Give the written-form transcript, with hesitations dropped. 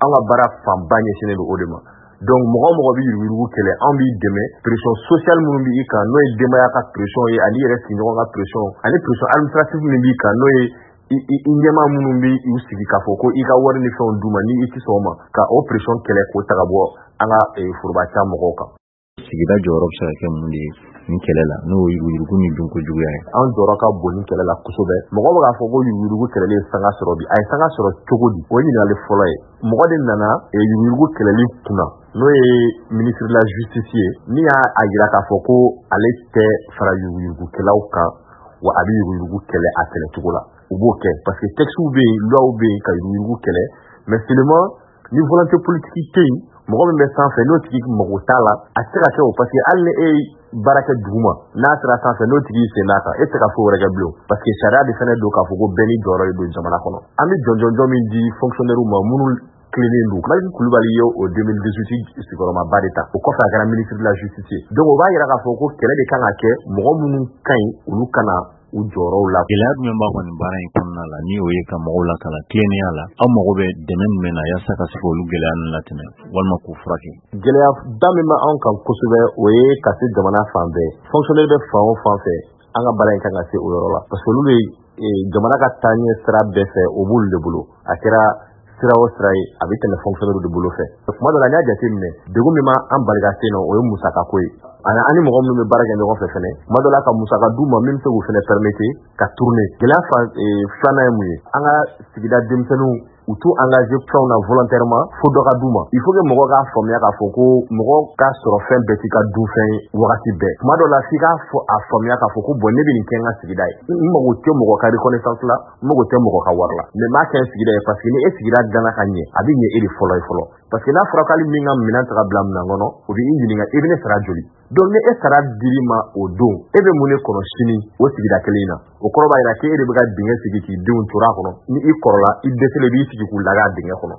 An ka baara fanba ɲɛsinnen don o de ma. Donc mɔgɔ o mɔgɔ bɛ yuruguyurugu kɛlɛ, anw b'i dɛmɛ pression sociale minnu b'i kan, n'o ye denbaya ka pression ye, ani yɛrɛ sigiɲɔgɔn ka pression, ani pression administrative min b'i kan, n'o ye i ɲɛmaa minnu bɛ u sigi k'a fɔ ko i ka wari ni fɛnw d'u ma, ni i tɛ sɔn o ma, ka o pression kɛlɛ k'o ta ka bɔ an ka foroba ca mɔgɔw kan. Sigida jɔyɔrɔ bɛ se ka kɛ mun de ye nin kɛlɛ la, n'o ye yuruguyurugu ni dunko juguya ye? Anw jɔyɔrɔ ka bon nin kɛlɛ la kosɛbɛ. Mɔgɔ bɛ k'a fɔ ko yuruguyurugu kɛlɛli ye sanga sɔrɔ bi, a ye sanga sɔrɔ cogo di? O ye ɲininkali fɔlɔ ye. Mɔgɔ de nana yuruguyurugu kɛlɛli kunna, n'o ye ministre de la justice ye, min y'a jira k'a fɔ ko ale tɛ fara yuruguyurugukɛlaw kan, wa a bɛ yuruguyurugu kɛlɛ a kɛlɛcogo la. U b'o kɛ parce que textes bɛ yen, lois bɛ yen ka yuruguyurugu kɛlɛ, mais seulement ni volonté politique tɛ yen, mɔgɔ min bɛ sanfɛ n'o tigi mago t'a la, a tɛ se ka kɛ o, parce que hali ni e ye baara kɛ duguma, n'a sera sanfɛ n'o tigi sen d'a kan, e tɛ se ka foyi wɛrɛ kɛ bilen, parce que sariya de fana don k'a fɔ ko bɛɛ n'i jɔyɔrɔ de don jamana kɔnɔ. An bɛ jɔnjɔnjɔn min di fonctionnaire ma minnu tilennen don, Malick Kulibali ye o 2018 sigiyɔrɔmaba de ta, o kɔfɛ a kɛra ministre de la justice ye. Donc o b'a yira k'a fɔ ko kɛlɛ de kan ka kɛ, mɔgɔ minnu ka ɲi olu kana u jɔyɔrɔw la. Gɛlɛya jumɛn b'a kɔni baara in kɔnɔna la, ni o ye ka mɔgɔw lakalan tilennenya la? Aw mago bɛ dɛmɛ jumɛn na yaasa ka se k'olu gɛlɛya ninnu latɛmɛ walima k'u furakɛ? Gɛlɛya da min bɛ anw kan kosɛbɛ, o ye ka se jamana fan bɛɛ. Fonctionnaire bɛ fan o fan fɛ, an ka baara in kan ka se o yɔrɔ la, parce que olu bɛ jamana ka taaɲɛ sira bɛɛ fɛ, o b'olu de bolo. A kɛra sira o sira ye, a bɛ tɛmɛ fonctionnaire de bolo fɛ. Kuma dɔ la, n y'a jateminɛ, degun min b'an bali ka se yen nɔ, o ye musakako ye. Ani an ni mɔgɔ minnu bɛ baara kɛ ɲɔgɔn fɛ fɛnɛ, kuma dɔ la ka musaka d'u ma min bɛ se k'u fɛnɛ permettre ka tourner. Gɛlɛya fan filanan ye mun ye? An ka sigida denmisɛnninw, u t'u engagé fɛnw na volontairement, fo dɔ ka d'u ma. Il faut que mɔgɔ k'a faamuya k'a fɔ ko mɔgɔ ka sɔrɔ fɛn bɛɛ t'i ka dunfɛn ye wagati bɛɛ. Kuma dɔ la, f'i k'a fɔ a faamuya k'a fɔ ko bon, ne bɛ nin kɛ n ka sigida ye, n mago tɛ mɔgɔ ka reconnaissance la, n mago tɛ mɔgɔ ka wari la, mais n b'a kɛ n sigida ye, parce que ni e sigida dilanna ka ɲɛ, a bɛ ɲɛ e de fɔlɔ ye fɔlɔ. Parce que n'a fɔra k'ale min ka minɛn ta ka bila minɛn kɔnɔ, o bɛ i ɲininka i bɛ ne sara joli. Donc ni e sara dir'i ma o don, e bɛ mun de kɔnɔ sini o sigida kelen in na? O kɔrɔ b'a jira k'e de bɛ ka dingɛ sigi k'i denw turu a kɔnɔ. Ni i kɔrɔla, i dɛsɛlen, i b'i sigi k'u laga a dingɛ kɔnɔ.